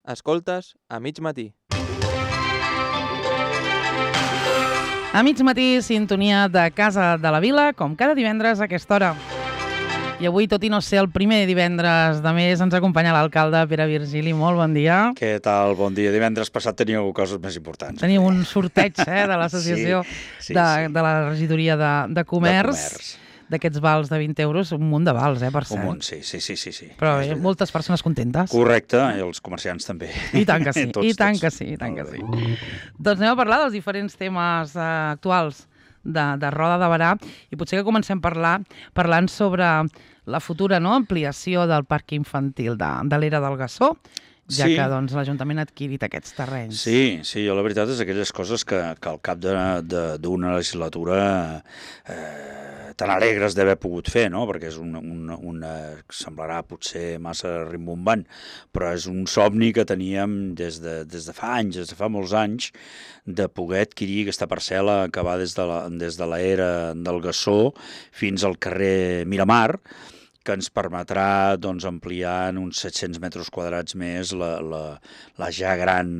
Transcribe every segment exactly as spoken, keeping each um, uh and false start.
Escoltes a mig matí. A mig matí, sintonia de Casa de la Vila, com cada divendres a aquesta hora. I avui, tot i no ser el primer divendres de mes, ens acompanya l'alcalde Pere Virgili. Molt bon dia. Què tal? Bon dia. Divendres passat teníeu coses més importants. Teníem un sorteig eh, de l'associació sí, sí, de, sí. de la regidoria de, de comerç. De comerç. D'aquests vals de vint euros, un munt de vals, eh, per cert. Un munt, sí, sí, sí. sí, sí. Però bé, moltes persones contentes. Correcte, i els comerciants també. I tant que sí, tots, i tant tots. que sí, i tant que sí. Doncs anem a parlar dels diferents temes eh, actuals de, de Roda de Berà i potser que comencem a parlar parlant sobre la futura no, ampliació del parc infantil de, de l'Era del Gassó, ja Sí. que doncs, l'Ajuntament ha adquirit aquests terrenys. Sí, sí, jo la veritat és aquelles coses que, que al cap d'una de, de, legislatura eh, tan alegres d'haver pogut fer, no? Perquè és una, una, una, semblarà potser massa rimbombant, però és un somni que teníem des de, des de fa anys, des de fa molts anys, de poder adquirir aquesta parcel·la que va des de la, des de l'era del Gassó fins al carrer Miramar, que ens permetrà doncs, ampliar en uns set-cents metres quadrats més la, la, la ja gran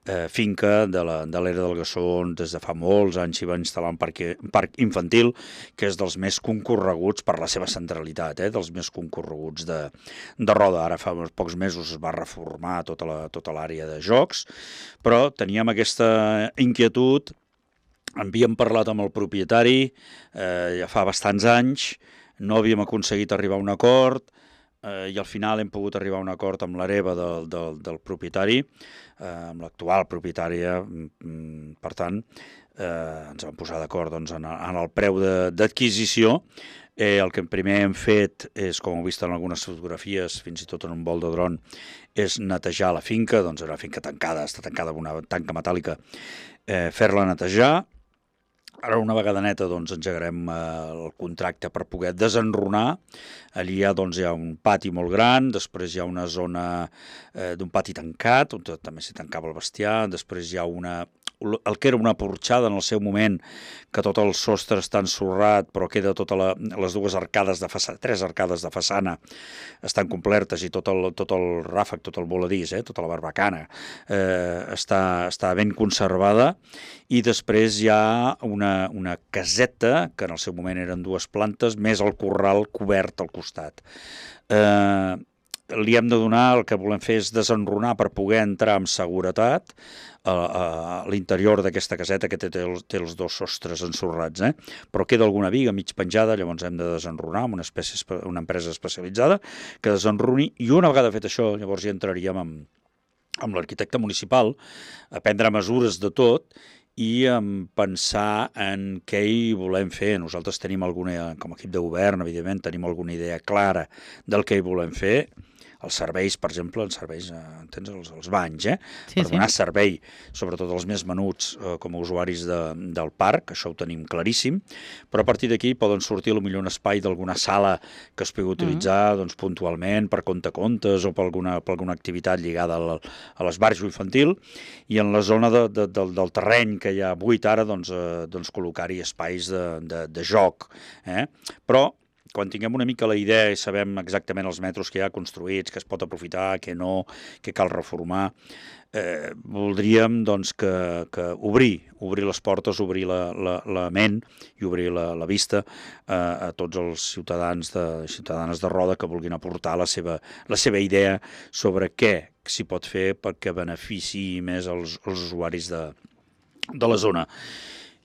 eh, finca de l'Era del Gassó, on des de fa molts anys s'hi va instal·lar un parc, un parc infantil, que és dels més concorreguts per la seva centralitat, eh, dels més concorreguts de, de Roda. Ara fa pocs mesos es va reformar tota la, tota l'àrea de jocs, però teníem aquesta inquietud, havíem parlat amb el propietari eh, ja fa bastants anys, no havíem aconseguit arribar a un acord eh, i al final hem pogut arribar a un acord amb l'hereva del, del, del propietari, eh, amb l'actual propietària. Per tant, eh, ens vam posar d'acord doncs, en, en el preu d'adquisició. Eh, el que primer hem fet és, com heu vist en algunes fotografies, fins i tot en un vol de dron, és netejar la finca, doncs una finca tancada, està tancada amb una tanca metàl·lica, eh, fer-la netejar. Ara, una vegada neta, doncs, engegarem eh, el contracte per poder desenrunar. Allí hi ha, doncs, hi ha un pati molt gran, després hi ha una zona eh, d'un pati tancat, on també s'hi tancava el bestiar, després hi ha una, el que era una porxada en el seu moment, que tot el sostre està ensorrat, però queda totes la, les dues arcades de façana, tres arcades de façana estan complertes i tot el, tot el ràfec, tot el voladís, eh, tota la barbacana eh, està, està ben conservada. I després hi ha una, una caseta, que en el seu moment eren dues plantes, més el corral cobert al costat. Eh, li hem de donar, el que volem fer és desenrunar per poder entrar amb seguretat a, a l'interior d'aquesta caseta, que té, té, els, té els dos sostres ensorrats, eh? Però queda alguna viga mig penjada, llavors hem de desenrunar amb una, espècie, una empresa especialitzada que desenruni, i una vegada fet això, llavors hi entraríem amb, amb l'arquitecte municipal a prendre mesures de tot i um, pensar en què hi volem fer. Nosaltres tenim alguna, com a equip de govern, evidentment, tenim alguna idea clara del que hi volem fer. Els serveis, per exemple, els serveis, entens, els, els banys, eh? Sí, per donar sí. servei, sobretot als més menuts eh, com a usuaris de, del parc, això ho tenim claríssim, però a partir d'aquí poden sortir potser un espai d'alguna sala que es pugui utilitzar mm. doncs, puntualment per contacontes o per alguna, per alguna activitat lligada a, a l'esbarjo infantil, i en la zona de, de, del, del terreny que hi ha buit ara, doncs, eh, doncs col·locar-hi espais de, de, de joc. Eh? Però quan tinguem una mica la idea i sabem exactament els metres que hi ha construïts, que es pot aprofitar, que no, que cal reformar, eh, voldríem doncs, que, que obrir, obrir les portes, obrir la, la, la ment i obrir la, la vista eh, a tots els ciutadans de, ciutadanes de Roda que vulguin aportar la seva, la seva idea sobre què s'hi pot fer perquè beneficiï més els, els usuaris de, de la zona.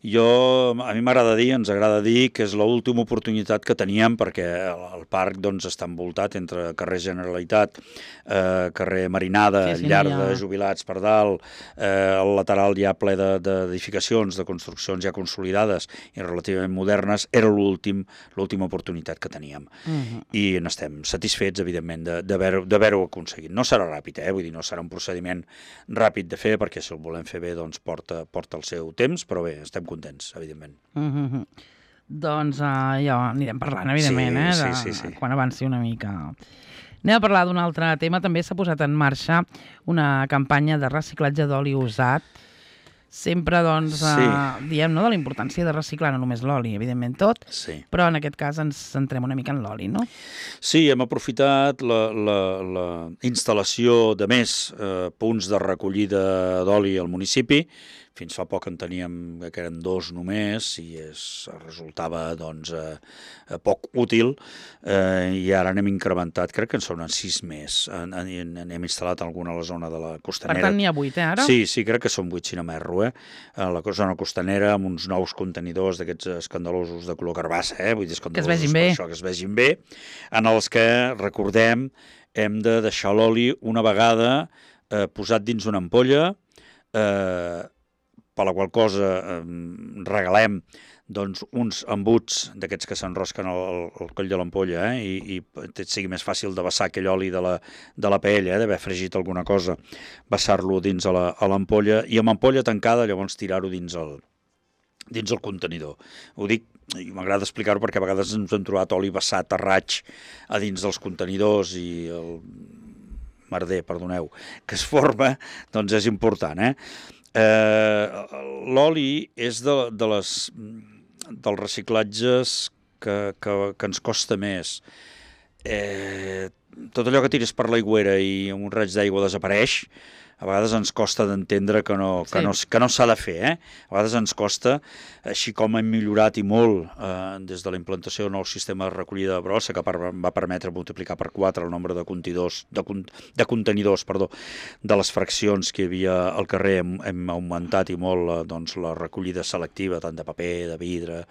Jo, a mi m'agrada dir, ens agrada dir que és l'última oportunitat que teníem, perquè el, el parc doncs, està envoltat entre carrer Generalitat, eh, carrer Marinada, sí, sí, llar ja. de jubilats per dalt, eh, al lateral hi ha ple d'edificacions, de, de construccions ja consolidades i relativament modernes. Era l'últim, l'última oportunitat que teníem. Uh-huh. I n'estem satisfets, evidentment, d'haver-ho aconseguit. No serà ràpid, eh? Vull dir, no serà un procediment ràpid de fer, perquè si el volem fer bé, doncs porta, porta el seu temps, però bé, estem contents, evidentment. Mm-hmm. Doncs uh, ja anirem parlant, evidentment, sí, eh, de, sí, sí, sí. quan avanci una mica. Anem a parlar d'un altre tema. També s'ha posat en marxa una campanya de reciclatge d'oli usat sempre doncs, Sí. eh, diem no, de la importància de reciclar no només l'oli, evidentment tot, Sí. però en aquest cas ens centrem una mica en l'oli, no? Sí, hem aprofitat la, la, la instal·lació de més eh, punts de recollida d'oli al municipi. Fins fa poc en teníem, que eren dos només, i es resultava doncs, eh, poc útil, eh, i ara n'hem incrementat, crec que en són sis més. En, en, n'hem instal·lat alguna a la zona de la costanera. Per tant, n'hi ha vuit, eh, ara? Sí, sí, crec que són vuit, si no m'erro, eh? A la zona costanera, amb uns nous contenidors d'aquests escandalosos de color carbassa, eh? Vull dir, Que es vegin bé. per això, que es vegin bé, en els que, recordem, hem de deixar l'oli una vegada eh, posat dins una ampolla, eh, per la qual cosa eh, regalem doncs, uns embuts d'aquests que s'enrosquen al, al coll de l'ampolla, eh, i, i et sigui més fàcil de vessar aquell oli de la, de la paella, eh, d'haver fregit alguna cosa, vessar-lo dins a la, a l'ampolla, i amb ampolla tancada llavors tirar-ho dins el, dins el contenidor. Ho dic, i m'agrada explicar-ho perquè a vegades ens hem trobat oli vessat a raig a dins dels contenidors i el merder, perdoneu, que es forma, doncs és important, eh? Eh, l'oli és de, de les, dels reciclatges que, que, que ens costa més. Eh, tot allò que tires per l'aigüera i un raig d'aigua desapareix, a vegades ens costa d'entendre que no, que Sí. no, que no s'ha de fer, eh? A vegades ens costa, així com hem millorat i molt eh, des de la implantació del nou sistema de recollida de brossa, que per, va permetre multiplicar per quatre el nombre de contenidors, de, de contenidors perdó, de les fraccions que hi havia al carrer, hem, hem augmentat i molt eh, doncs, la recollida selectiva, tant de paper, de vidre,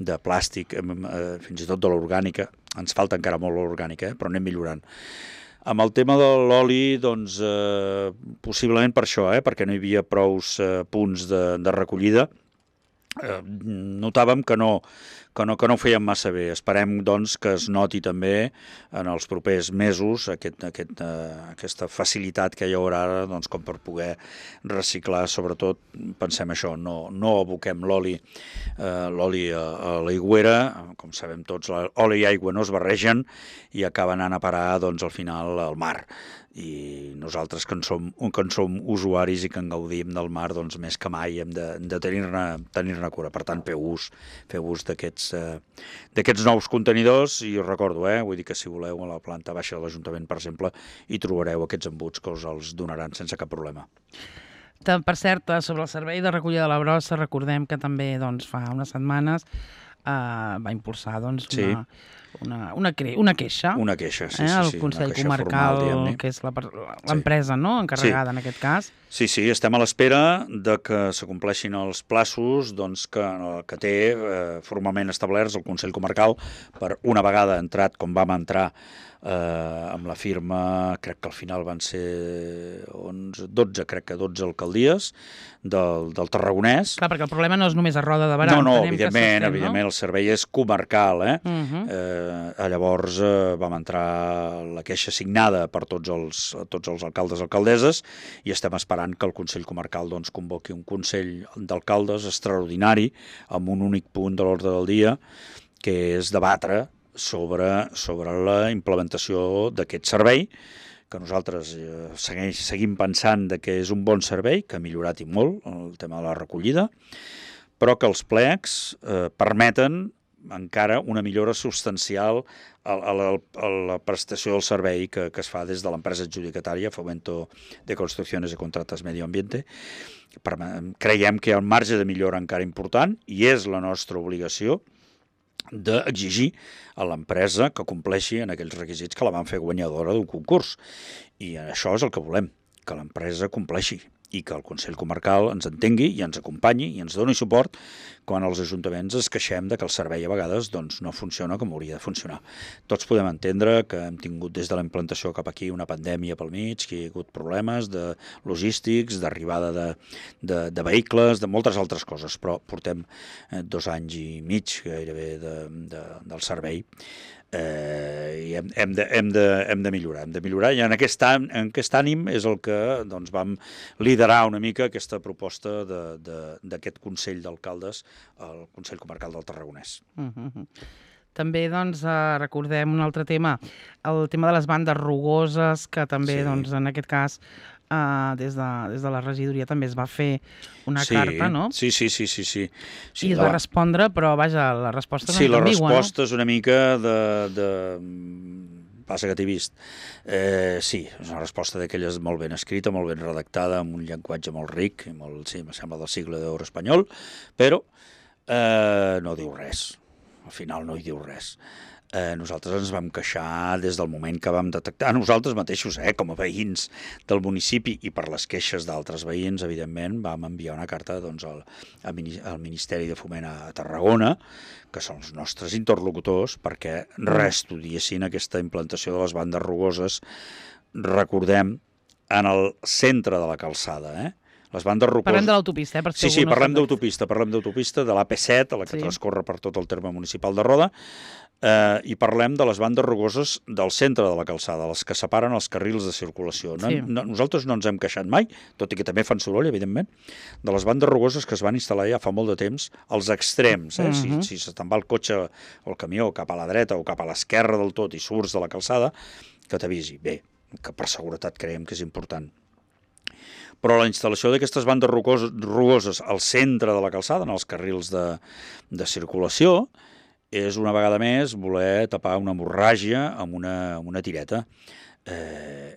de plàstic, hem, eh, fins i tot de l'orgànica. Ens falta encara molt l'orgànica, eh? Però anem millorant. Amb el tema de l'oli, doncs, eh, possiblement per això, eh, perquè no hi havia prous eh, punts de, de recollida, eh, notàvem que no, que, no, que no ho fèiem massa bé. Esperem doncs, que es noti també en els propers mesos aquest, aquest, eh, aquesta facilitat que hi haurà ara doncs, com per poder reciclar. Sobretot, pensem això, no, no aboquem l'oli eh, l'oli a, a l'aigüera. Com sabem tots, l'oli i aigua no es barregen i acaba anant a parar doncs, al final al mar. I nosaltres que en som, que en som usuaris i que en gaudim del mar, doncs més que mai hem de, de tenir-ne tenir-ne cura. Per tant, feu ús, feu ús d'aquests eh, d'aquests nous contenidors, i us recordo, eh, vull dir que si voleu a la planta baixa de l'Ajuntament, per exemple, hi trobareu aquests embuts que us els donaran sense cap problema. Per cert, sobre el servei de recollida de la brossa, recordem que també doncs, fa unes setmanes eh, va impulsar doncs, Sí. una, una, una, cre una queixa. Una queixa, sí, eh, sí, el sí. Consell una queixa Comarcal, formal, que és l'empresa sí. no? encarregada sí. en aquest cas. Sí, sí, estem a l'espera de que s'acompleixin els plaços doncs, que, que té eh, formalment establerts el Consell Comarcal per una vegada entrat, com vam entrar eh, amb la firma, crec que al final van ser onze, dotze, crec que dotze alcaldies del, del Tarragonès. Clar, perquè el problema no és només a Roda de Berà. No, no, evidentment, fent, evidentment, no? El servei és comarcal, eh? Uh -huh. eh llavors eh, vam entrar la queixa signada per tots els, tots els alcaldes i alcaldesses i estem esperant que el Consell Comarcal doncs, convoqui un Consell d'Alcaldes extraordinari amb un únic punt de l'ordre del dia, que és debatre sobre, sobre la implementació d'aquest servei, que nosaltres eh, segueix, seguim pensant de que és un bon servei, que ha millorat i molt el tema de la recollida, però que els plecs eh, permeten encara una millora substancial a, a, la, a la prestació del servei que, que es fa des de l'empresa adjudicatària Fomento de Construcciones y Contratas Medio Ambiente. Per, creiem que hi ha un marge de millora encara important i és la nostra obligació d'exigir a l'empresa que compleixi en aquells requisits que la van fer guanyadora d'un concurs. I això és el que volem, que l'empresa compleixi i que el Consell Comarcal ens entengui i ens acompanyi i ens doni suport quan els ajuntaments es queixem de que el servei a vegades doncs, no funciona com hauria de funcionar. Tots podem entendre que hem tingut des de la implantació cap aquí una pandèmia pel mig, que hi ha hagut problemes de logístics, d'arribada de, de, de vehicles, de moltes altres coses, però portem eh, dos anys i mig gairebé de, de, del servei. Eh, i hem, hem, de, hem, de, hem de millorar, hem de millorar i en aquest, en aquest ànim és el que doncs, vam liderar una mica aquesta proposta d'aquest Consell d'Alcaldes al Consell Comarcal del Tarragonès. Uh -huh. També doncs, eh, recordem un altre tema, el tema de les bandes rugoses, que també Sí. doncs, en aquest cas uh, des, de, des de la regidoria també es va fer una sí, carta, no? Sí, sí, sí, sí, sí. sí I es la... va respondre, però vaja, la resposta és sí, una mica ambigua, no? Sí, la resposta és una mica de... de... passa que t'he vist. Eh, sí, és una resposta d'aquelles molt ben escrita, molt ben redactada, amb un llenguatge molt ric, molt, sí, em sembla del segle d'or espanyol, però eh, no diu res. Al final no hi diu res. Eh, nosaltres ens vam queixar des del moment que vam detectar, nosaltres mateixos, eh, com a veïns del municipi i per les queixes d'altres veïns, evidentment, vam enviar una carta doncs, al, al Ministeri de Foment a Tarragona, que són els nostres interlocutors, perquè reestudiessin aquesta implantació de les bandes rugoses, recordem, en el centre de la calçada, eh? Les bandes rocoses... Parlem de l'autopista, eh? Per si sí, sí, no parlem d'autopista, parlem d'autopista, de l'A P set, a la que sí. transcorre per tot el terme municipal de Roda, eh, i parlem de les bandes rugoses del centre de la calçada, les que separen els carrils de circulació. No, sí. no, nosaltres no ens hem queixat mai, tot i que també fan soroll, evidentment, de les bandes rugoses que es van instal·lar ja fa molt de temps, als extrems. Eh? Uh -huh. Si, si se'n va el cotxe o el camió cap a la dreta o cap a l'esquerra del tot i surts de la calçada, que t'avisi. Bé, que per seguretat creiem que és important. Però la instal·lació d'aquestes bandes rugoses al centre de la calçada, en els carrils de, de circulació, és una vegada més voler tapar una hemorràgia amb una, amb una tireta. Eh,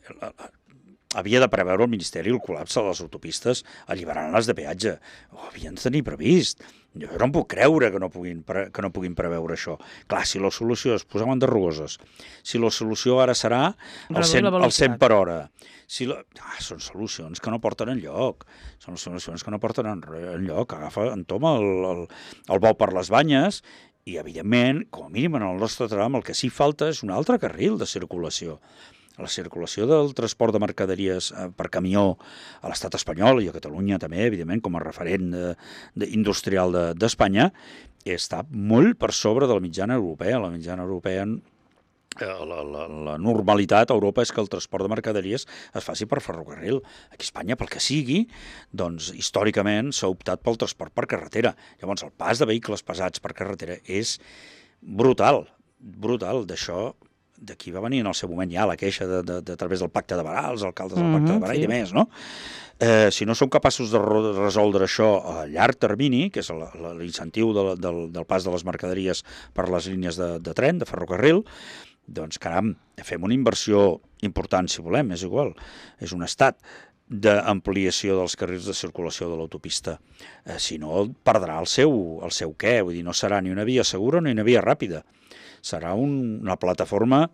havia de preveure el Ministeri el col·lapse de les autopistes alliberant-les de peatge. Ho havien de tenir previst. Jo no em puc creure que no puguin, que no puguin preveure això. Clar, si la solució és posar bandes rugoses, si la solució ara serà el cent, el cent per hora, si la... ah, són solucions que no porten enlloc, són solucions que no porten enlloc, agafa, entoma el, el, el bou per les banyes i, evidentment, com a mínim en el nostre tram, el que sí falta és un altre carril de circulació. La circulació del transport de mercaderies per camió a l'estat espanyol i a Catalunya també, evidentment, com a referent de, de, industrial d'Espanya, de, està molt per sobre de la mitjana europea. La mitjana europea, la, la, la normalitat a Europa és que el transport de mercaderies es faci per ferrocarril. Aquí a Espanya, pel que sigui, doncs històricament s'ha optat pel transport per carretera. Llavors, el pas de vehicles pesats per carretera és brutal, brutal. D'això d'aquí va venir en el seu moment ja la queixa de, de, de, a través del Pacte de Barà, els alcaldes del Pacte de Barà, sí. I de més, no? Eh, si no som capaços de resoldre això a llarg termini, que és l'incentiu de, del, del pas de les mercaderies per les línies de, de tren, de ferrocarril, doncs, caram, fem una inversió important, si volem, és igual, és un estat d'ampliació dels carrils de circulació de l'autopista. Eh, si no, perdrà el seu, el seu què, vull dir, no serà ni una via segura ni una via ràpida. Serà un, una plataforma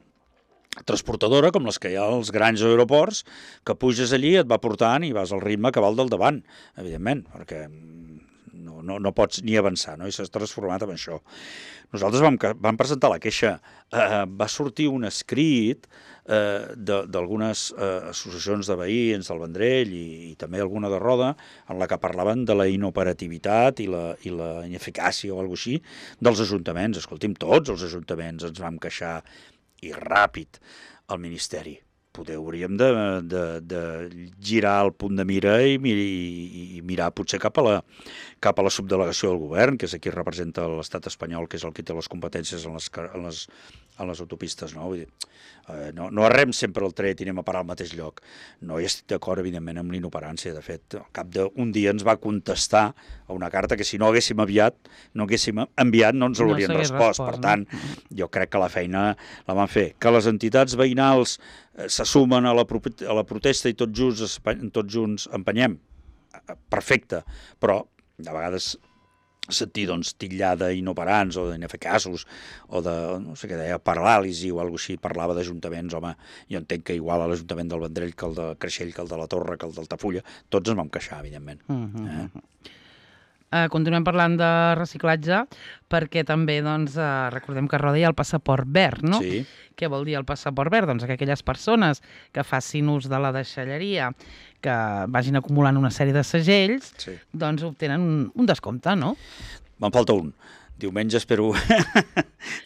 transportadora com les que hi ha als grans aeroports, que puges allí, et va portant i vas al ritme que va al del davant, evidentment, perquè no, no, no pots ni avançar, no? I s'ha transformat en això. Nosaltres vam, vam presentar la queixa, eh, va sortir un escrit eh, d'algunes eh, associacions de veïns del Vendrell i, i també alguna de Roda, en la que parlaven de la inoperativitat i la, i la ineficàcia o alguna cosa així dels ajuntaments. Escolti'm, tots els ajuntaments ens vam queixar i ràpid al Ministeri. Poder hauríem de, de, de girar el punt de mira i, i, i mirar potser cap a, la, cap a la subdelegació del govern, que és aquí representa l'estat espanyol, que és el que té les competències en les, en les, en les autopistes. No? Vull dir, eh, no, no arrem sempre el tret i anem a parar al mateix lloc. No hi estic d'acord, evidentment, amb l'inoperància. De fet, al cap d'un dia ens va contestar a una carta que si no haguéssim aviat, no haguéssim enviat, no ens l'haurien no respost. respost. Per tant, no? Jo crec que la feina la van fer. Que les entitats veïnals se sumen a la, a la protesta i tots junts, tots junts empenyem, perfecte, però de vegades sentir doncs, titllada inoperants o d'ineficaços o de, no sé què deia, paràlisi o alguna cosa així, parlava d'ajuntaments, home, jo entenc que igual a l'Ajuntament del Vendrell que el de Creixell, que el de la Torre, que el d'Altafulla, tots ens vam queixar, evidentment. Uh -huh. eh? Uh, continuem parlant de reciclatge perquè també doncs, uh, recordem que a Roda hi ha el passaport verd, no? Sí. Què vol dir el passaport verd? Doncs que aquelles persones que facin ús de la deixalleria, que vagin acumulant una sèrie de segells, sí. doncs obtenen un, un descompte, no? Me'n falta un. Diumenge espero,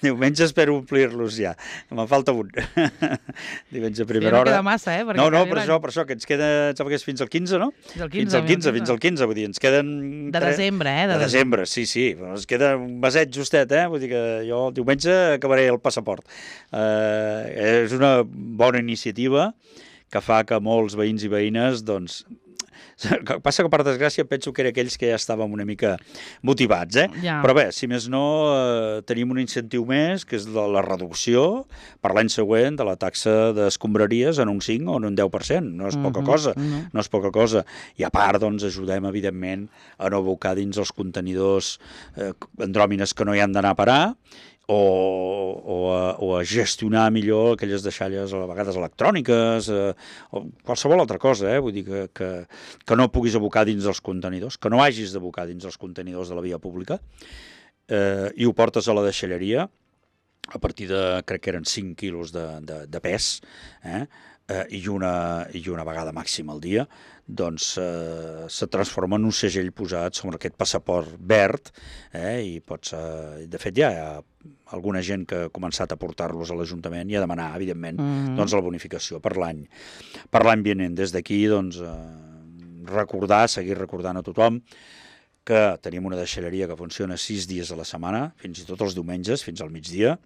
diumenge espero omplir-los ja. Me'n falta un. Diumenge a primera hora. Sí, no queda massa, eh? No, no, per això, per això, que ens queda, em sembla que és fins al quinze, no? Fins al quinze. Fins al quinze, fins al quinze, vull dir, ens queden... De desembre, eh? De, de desembre, sí, sí. Ens queda un meset justet, eh? Vull dir que jo el diumenge acabaré el passaport. Eh, és una bona iniciativa que fa que molts veïns i veïnes, doncs, el que passa que, per desgràcia, penso que era aquells que ja estàvem una mica motivats, eh? Ja. Però bé, si més no, eh, tenim un incentiu més, que és la, la reducció per l'any següent de la taxa d'escombraries en un cinc o en un deu per cent. No és poca Mhm, cosa, no. no és poca cosa. I a part, doncs, ajudem, evidentment, a no abocar dins els contenidors eh, andròmines que no hi han d'anar a parar, o, o, a, o a gestionar millor aquelles deixalles a vegades electròniques, eh, o qualsevol altra cosa, eh? Vull dir que, que, que no puguis abocar dins dels contenidors, que no hagis d'abocar dins els contenidors de la via pública, eh, i ho portes a la deixalleria a partir de, crec que eren cinc quilos de, de, de pes, eh? Eh, i, una, i una vegada màxima al dia, doncs eh, se transforma en un segell posat sobre aquest passaport verd, eh, i pots, eh, de fet ja hi ha alguna gent que ha començat a portar-los a l'Ajuntament i a demanar, evidentment, Mhm. doncs, la bonificació per l'any per l'any vinent. Des d'aquí, doncs, eh, recordar, seguir recordant a tothom que tenim una deixalleria que funciona sis dies a la setmana, fins i tot els diumenges, fins al migdia,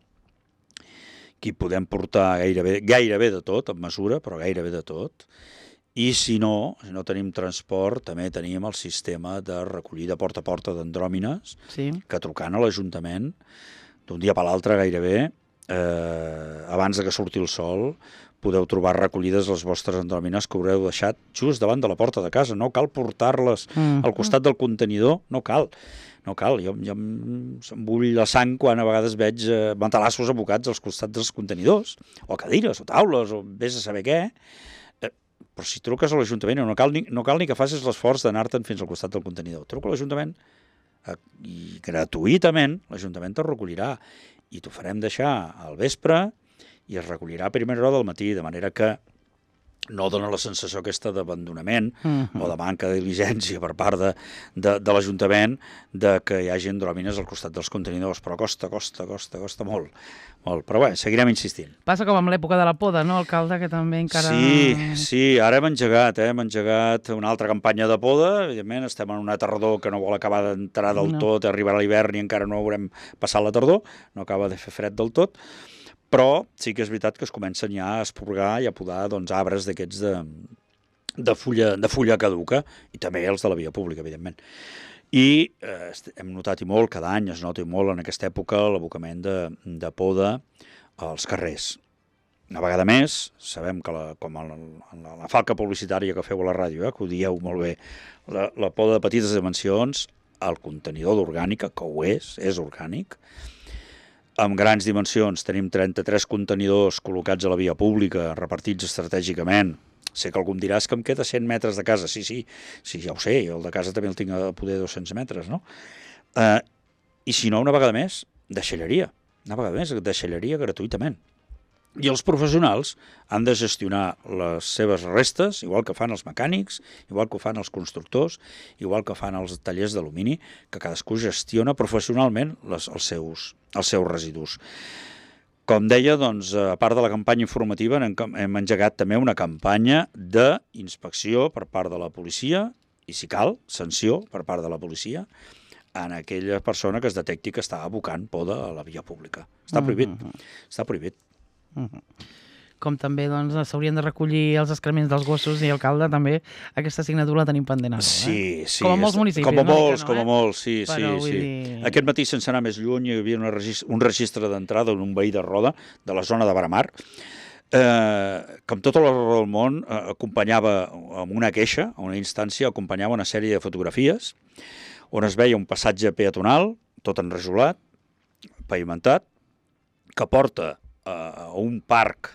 que hi podem portar gairebé, gairebé de tot, amb mesura, però gairebé de tot. I si no, si no tenim transport, també tenim el sistema de recollida porta a porta d'andròmines, Sí. que trucant a l'Ajuntament, d'un dia per l'altre gairebé, eh, abans de que surti el sol, podeu trobar recollides les vostres andròmines que haureu deixat just davant de la porta de casa. No cal portar-les Mhm. al costat del contenidor, no cal. No cal, jo, jo em, em bull la sang quan a vegades veig eh, matalassos abocats als costats dels contenidors, o cadires, o taules, o vés a saber què. Eh, però si truques a l'Ajuntament, no cal ni, no cal ni que facis l'esforç d'anar-te'n fins al costat del contenidor. Truca a l'Ajuntament eh, i gratuïtament l'Ajuntament te'l recollirà i t'ho farem deixar al vespre i es recollirà a primera hora del matí, de manera que no dona la sensació aquesta d'abandonament Mhm. o de manca de diligència per part de, de, de l'Ajuntament de que hi hagi andròmines al costat dels contenidors, però costa, costa, costa, costa molt. molt. Però bé, seguirem insistint. Passa com amb l'època de la poda, no, alcalde, que també encara... Sí, sí, ara hem engegat, eh? hem engegat una altra campanya de poda, evidentment estem en una tardor que no vol acabar d'entrar del No. tot, arribarà l'hivern i encara no haurem passat la tardor, no acaba de fer fred del tot, però sí que és veritat que es comencen ja a esporgar i a podar doncs, arbres d'aquests de, de, fulla, de fulla caduca, i també els de la via pública, evidentment. I eh, hem notat i molt, cada any es nota i molt en aquesta època l'abocament de, de poda als carrers. Una vegada més, sabem que la, com en la, en la, la falca publicitària que feu a la ràdio, eh, que ho dieu molt bé, la, la poda de petites dimensions, el contenidor d'orgànica, que ho és, és orgànic, amb grans dimensions, tenim trenta-tres contenidors col·locats a la via pública, repartits estratègicament. Sé que algú em dirà, és que em queda cent metres de casa. Sí, sí, sí, ja ho sé, jo el de casa també el tinc a poder dos-cents metres, no? Eh, I si no, una vegada més, deixalleria. Una vegada més, deixalleria gratuïtament. I els professionals han de gestionar les seves restes, igual que fan els mecànics, igual que ho fan els constructors, igual que fan els tallers d'alumini, que cadascú gestiona professionalment les, els, seus, els seus residus. Com deia, doncs, a part de la campanya informativa, hem, hem engegat també una campanya d'inspecció per part de la policia, i si cal, sanció per part de la policia, en aquella persona que es detecti que està abocant poda a la via pública. Està prohibit, Mhm. està prohibit. Mhm. Com també doncs, s'haurien de recollir els excrements dels gossos, i alcalde també aquesta assignatura la tenim pendent ara. Sí, eh? sí. Com a molts és- municipis. Com a no dic que molts, no, com a eh? molts, sí, Però sí, vull sí. dir- Aquest matí, sense anar més lluny, hi havia una registre, un registre d'entrada d'un veí de Roda, de la zona de Baramar, eh, que amb tota la raó del món eh, acompanyava, amb una queixa, a una instància, acompanyava una sèrie de fotografies on es veia un passatge peatonal, tot enrajolat, pavimentat, que porta eh, a un parc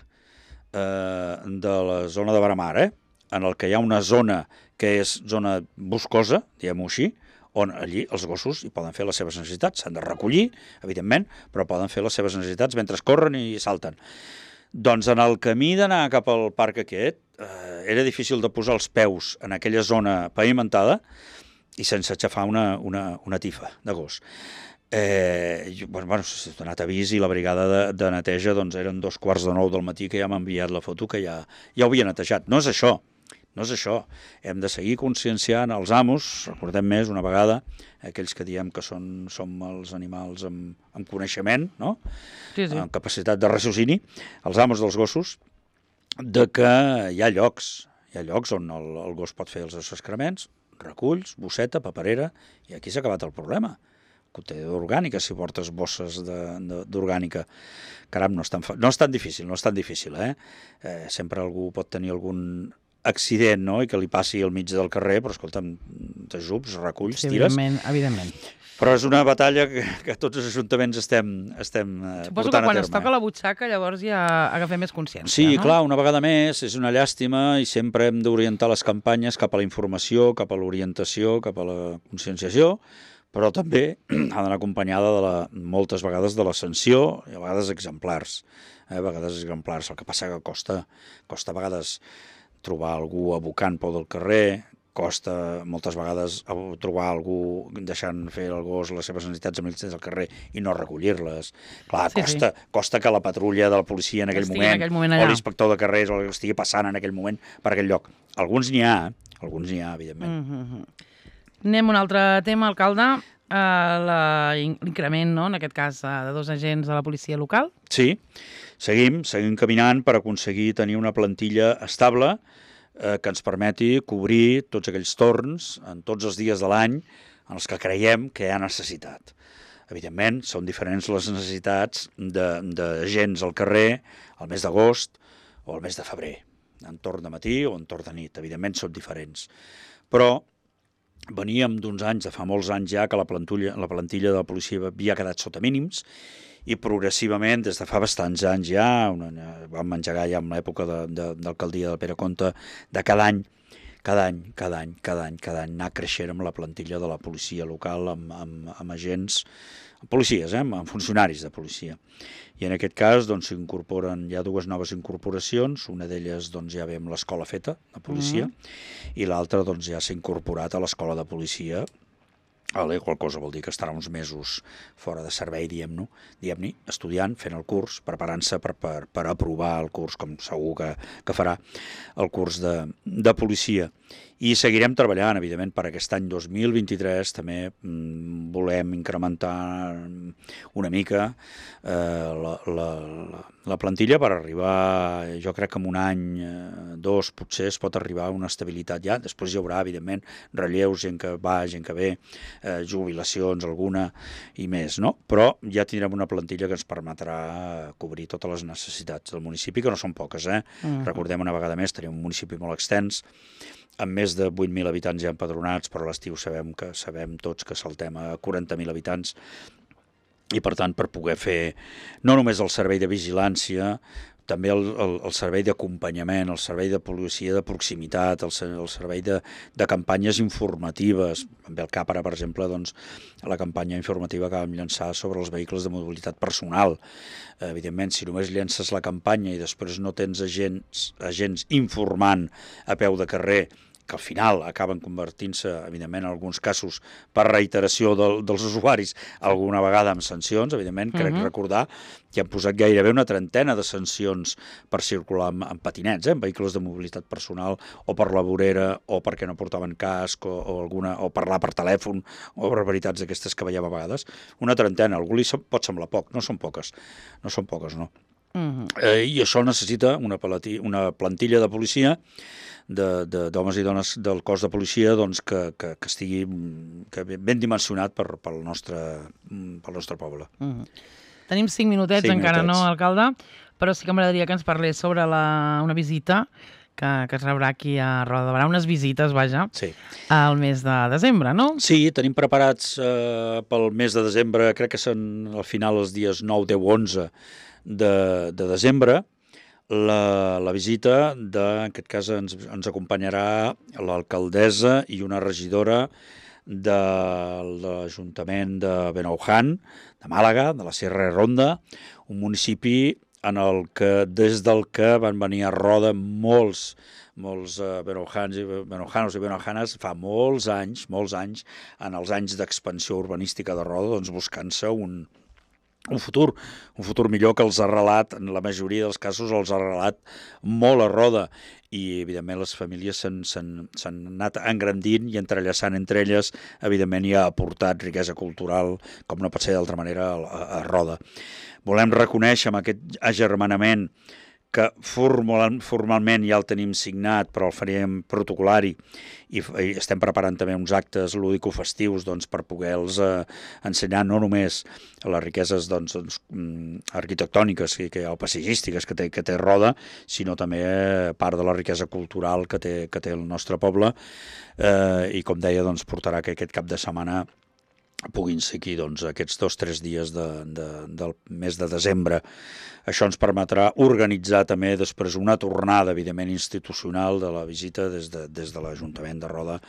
eh, de la zona de Baramar, eh, en el que hi ha una zona que és zona boscosa, diguem-ho així, on allí els gossos hi poden fer les seves necessitats. S'han de recollir, evidentment, però poden fer les seves necessitats mentre corren i salten. Doncs en el camí d'anar cap al parc aquest, eh, era difícil de posar els peus en aquella zona pavimentada i sense aixafar una, una, una tifa de gos. Eh, jo, bueno, bueno, s'ha donat avís i la brigada de, de neteja doncs, eren dos quarts de nou del matí que ja m'ha enviat la foto que ja, ja ho havia netejat. No és això, no és això. Hem de seguir conscienciant els amos, recordem més una vegada, aquells que diem que són, som els animals amb, amb coneixement, no? Sí, sí. Amb capacitat de raciocini, els amos dels gossos, de que hi ha llocs, hi ha llocs on el, el gos pot fer els seus excrements, reculls, bosseta, paperera, i aquí s'ha acabat el problema. Contenidor orgànica, si portes bosses d'orgànica. Caram, no és, tan, no és tan difícil, no és tan difícil, eh? eh? Sempre algú pot tenir algun accident, no?, i que li passi al mig del carrer, però escolta'm, t'ajups, reculls, sí, tires... Evidentment, evidentment. Però és una batalla que, que tots els ajuntaments estem, estem Suposo portant a terme. Suposo que quan es toca la butxaca llavors ja agafem més consciència, sí, no? Sí, clar, una vegada més, és una llàstima i sempre hem d'orientar les campanyes cap a la informació, cap a l'orientació, cap a la conscienciació, però també ha d'anar acompanyada de la, moltes vegades de la sanció i a vegades exemplars. Eh? A vegades exemplars. El que passa que costa, costa a vegades trobar algú abocant pel del carrer, costa moltes vegades trobar algú deixant fer el gos les seves necessitats amb ells al carrer i no recollir-les. Clar, sí, costa, sí. costa que la patrulla de la policia en aquell moment, en aquell moment o l'inspector de carrers o el que estigui passant en aquell moment per aquell lloc. Alguns n'hi ha, alguns n'hi ha, evidentment. Mm-hmm. Anem a un altre tema, alcalde, uh, l'increment, no?, en aquest cas, uh, de dos agents de la policia local. Sí, seguim, seguim caminant per aconseguir tenir una plantilla estable eh, que ens permeti cobrir tots aquells torns en tots els dies de l'any en els que creiem que hi ha necessitat. Evidentment, són diferents les necessitats d'agents al carrer al mes d'agost o al mes de febrer, en torn de matí o en torn de nit. Evidentment, són diferents. Però veníem d'uns anys, de fa molts anys ja, que la plantilla, la plantilla de la policia havia quedat sota mínims i progressivament, des de fa bastants anys ja, una, vam engegar ja en l'època de, de, d'alcaldia del Pere Comte, de cada any, cada any, cada any, cada any, cada any, anar creixent amb la plantilla de la policia local, amb, amb, amb agents, amb policies, eh, amb funcionaris de policia. I en aquest cas doncs, s'incorporen, hi ha dues noves incorporacions, una d'elles doncs, ja ve amb l'escola feta de policia, mm-hmm. i l'altra doncs, ja s'ha incorporat a l'escola de policia. Vale, qual cosa vol dir que estarà uns mesos fora de servei, diguem-ne, diguem-ne, estudiant, fent el curs, preparant-se per, per, per aprovar el curs, com segur que, que farà el curs de, de policia. I seguirem treballant, evidentment, per aquest any dos mil vint-i-tres, també mm, volem incrementar una mica eh, la, la, la plantilla per arribar, jo crec que en un any, eh, dos, potser es pot arribar a una estabilitat ja. Després hi haurà, evidentment, relleus, gent que va, gent que ve, eh, jubilacions, alguna i més, no? Però ja tindrem una plantilla que ens permetrà cobrir totes les necessitats del municipi, que no són poques, eh? Mm. Recordem una vegada més, tenim un municipi molt extens, amb més de vuit mil habitants ja empadronats, però a l'estiu sabem que sabem tots que saltem a quaranta mil habitants i, per tant, per poder fer no només el servei de vigilància, també el, el, el servei d'acompanyament, el servei de policia de proximitat, el, el servei de, de campanyes informatives. Em ve al cap ara, per exemple, doncs, la campanya informativa que vam llançar sobre els vehicles de mobilitat personal. Eh, evidentment, si només llences la campanya i després no tens agents, agents informant a peu de carrer, que al final acaben convertint-se, evidentment, en alguns casos, per reiteració del, dels usuaris, alguna vegada amb sancions, evidentment, crec uh-huh. recordar que han posat gairebé una trentena de sancions per circular amb, amb patinets, eh, amb vehicles de mobilitat personal, o per la vorera, o perquè no portaven casc, o, o, alguna, o parlar per telèfon, o barbaritats d'aquestes que veiem a vegades. Una trentena, algú li pot semblar poc, no són poques, no són poques, no. Uh-huh. Eh, I això necessita una, palati, una plantilla de policia d'homes i dones del cos de policia doncs, que, que, que estigui que ben dimensionat per, pel, nostre, pel nostre poble. Mm. Tenim cinc minutets, cinc encara minutets. No, alcalde, però sí que m'agradaria que ens parlés sobre la, una visita que, que es rebrà aquí a Roda de Barà, unes visites, vaja, sí. al mes de desembre, no? Sí, tenim preparats eh, pel mes de desembre, crec que són al final els dies nou, deu, onze de, de desembre. La, la visita, de, en aquest cas ens, ens acompanyarà l'alcaldessa i una regidora de l'Ajuntament de Benaujan, de Màlaga, de la Sierra Ronda, un municipi en el que, des del que van venir a Roda molts, molts uh, benoujans i benaujanos i benaujanes fa molts anys, molts anys, en els anys d'expansió urbanística de Roda, doncs buscant-se un un futur, un futur millor que els ha arrelat, en la majoria dels casos els ha arrelat molt a Roda, i evidentment les famílies s'han anat engrandint i entrellaçant entre elles, evidentment hi ha aportat riquesa cultural, com no pot ser d'altra manera, a, a Roda. Volem reconèixer amb aquest agermanament que formal, formalment ja el tenim signat, però el faríem protocolari, i, i estem preparant també uns actes lúdico-festius doncs, per poder-los eh, ensenyar no només les riqueses doncs, doncs, arquitectòniques que, que, o paisatgístiques que té, que té Roda, sinó també eh, part de la riquesa cultural que té, que té el nostre poble, eh, i com deia, doncs, portarà que aquest cap de setmana puguin ser aquí doncs, aquests dos o tres dies de, de, del mes de desembre. Això ens permetrà organitzar també després una tornada, evidentment, institucional de la visita des de, des de l'Ajuntament de Roda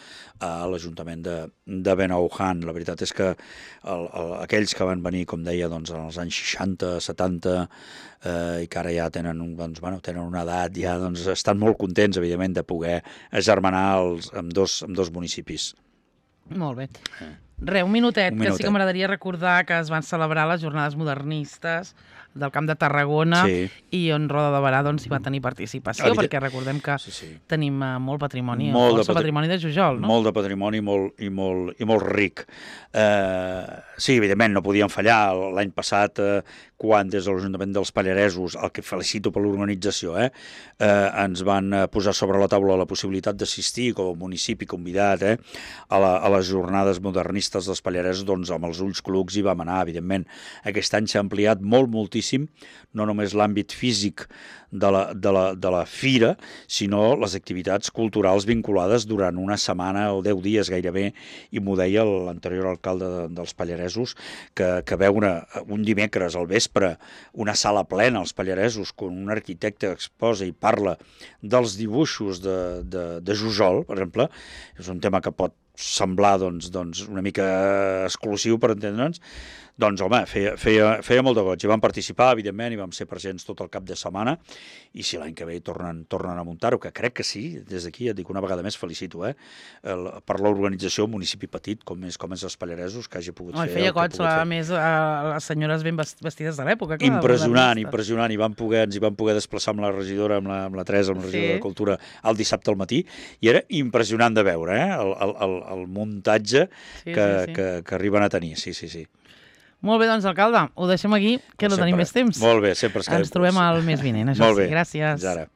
a l'Ajuntament de, de Benaujan. La veritat és que el, el, aquells que van venir, com deia, doncs, en els anys seixanta, setanta, eh, i que ara ja tenen, doncs, bueno, tenen una edat, ja doncs, estan molt contents, evidentment, de poder agermanar els, amb, dos, amb dos municipis. Molt bé. Re, un minutet, un que minutet. sí que m'agradaria recordar que es van celebrar les jornades modernistes del Camp de Tarragona, sí. i on Roda de Berà doncs, hi va tenir participació, Evident... perquè recordem que sí, sí. tenim uh, molt patrimoni, molt força de patri... patrimoni de Jujol, no? Molt de patrimoni molt, i, molt, i molt ric. Eh, sí, evidentment, no podien fallar. L'any passat, eh, quan des de l'Ajuntament dels Pallaresos, el que felicito per l'organització, eh, eh, ens van posar sobre la taula la possibilitat d'assistir com a municipi convidat eh, a, la, a les jornades modernistes dels Pallaresos, doncs amb els ulls clucs hi vam anar, evidentment. Aquest any s'ha ampliat molt, moltíssim, no només l'àmbit físic de la, de, la, de la fira, sinó les activitats culturals vinculades durant una setmana o deu dies gairebé, i m'ho deia l'anterior alcalde de, dels Pallaresos, que, que veure un dimecres al vespre una sala plena als Pallaresos, quan un arquitecte exposa i parla dels dibuixos de, de, de Jujol, per exemple, és un tema que pot semblar doncs, doncs, una mica exclusiu, per entendre'ns, doncs, home, feia, feia, feia molt de goig. Hi vam participar, evidentment, i vam ser presents tot el cap de setmana, i si l'any que ve tornen, tornen a muntar-ho, que crec que sí, des d'aquí et dic una vegada més felicito, eh, el, per l'organització, un municipi petit, com és, com és els Pallaresos, que hagi pogut oh, fer... Feia goig, a més, a les senyores ben vestides de l'època. Impressionant, impressionant, i vam poder, ens hi vam poder desplaçar amb la regidora, amb la, amb la Teresa, amb la regidora sí. de Cultura, el dissabte al matí, i era impressionant de veure, eh, el, el, el, el muntatge sí, que, sí, sí. Que, que arriben a tenir, sí, sí, sí. Molt bé, doncs, alcalde, ho deixem aquí, que no tenim més temps. Molt bé, sempre es quedem. Ens trobem al mes vinent, això sí, gràcies. Fins ara.